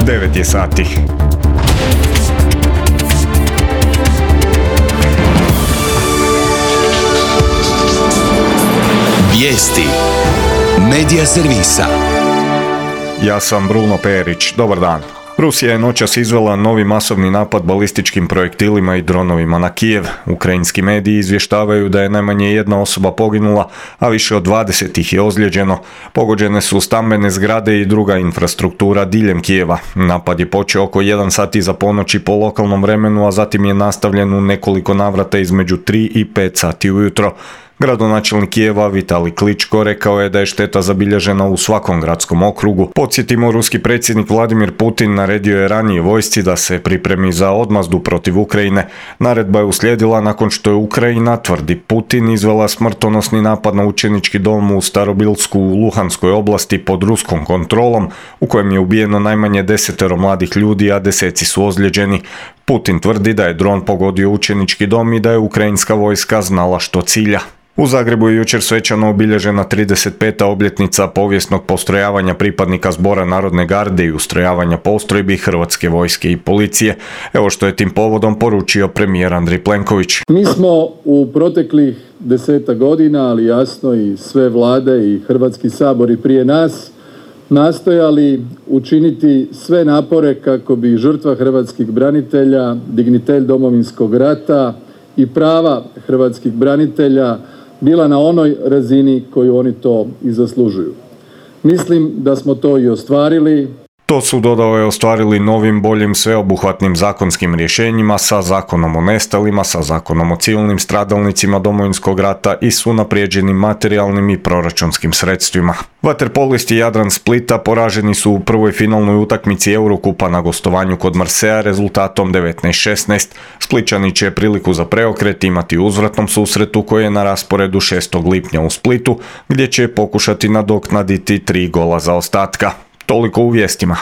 9 je sati. Vijesti Medija servisa. Ja sam Bruno Perić. Dobar dan. Rusija je noćas izvela novi masovni napad balističkim projektilima i dronovima na Kijev. Ukrajinski mediji izvještavaju da je najmanje jedna osoba poginula, a više od 20 ih je ozlijeđeno. Pogođene su stambene zgrade i druga infrastruktura diljem Kijeva. Napad je počeo oko 1 sat iza ponoći po lokalnom vremenu, a zatim je nastavljen u nekoliko navrata između 3 i 5 sati ujutro. Gradonačelnik Kijeva Vitalij Kličko rekao je da je šteta zabilježena u svakom gradskom okrugu. Podsjetimo, ruski predsjednik Vladimir Putin naredio je ranije vojsci da se pripremi za odmazdu protiv Ukrajine. Naredba je uslijedila nakon što je Ukrajina, tvrdi Putin, izvela smrtonosni napad na učenički dom u Starobilsku u Luhanskoj oblasti pod ruskom kontrolom, u kojem je ubijeno najmanje 10 mladih ljudi, a deseci su ozlijeđeni. Putin tvrdi da je dron pogodio učenički dom i da je ukrajinska vojska znala što cilja. U Zagrebu je jučer svečano obilježena 35. obljetnica povijesnog postrojavanja pripadnika Zbora narodne garde i ustrojavanja postrojbi Hrvatske vojske i policije. Evo što je tim povodom poručio premijer Andrej Plenković. Mi smo u proteklih 10 godina, ali jasno i sve vlade i Hrvatski sabor i prije nas, nastojali učiniti sve napore kako bi žrtva hrvatskih branitelja, dignitet Domovinskog rata i prava hrvatskih branitelja bila na onoj razini koju oni to i zaslužuju. Mislim da smo to i ostvarili. To su, dodao je, ostvarili novim, boljim, sveobuhvatnim zakonskim rješenjima, sa zakonom o nestalima, sa zakonom o civilnim stradalnicima Domovinskog rata i s unaprijeđenim materijalnim i proračunskim sredstvima. Vaterpolisti Jadran Splita poraženi su u prvoj finalnoj utakmici Eurokupa na gostovanju kod Marseja rezultatom 19-16. Splićani će priliku za preokret imati u uzvratnom susretu koji je na rasporedu 6. lipnja u Splitu, gdje će pokušati nadoknaditi 3 gola zaostatka. Toliko u vijestima.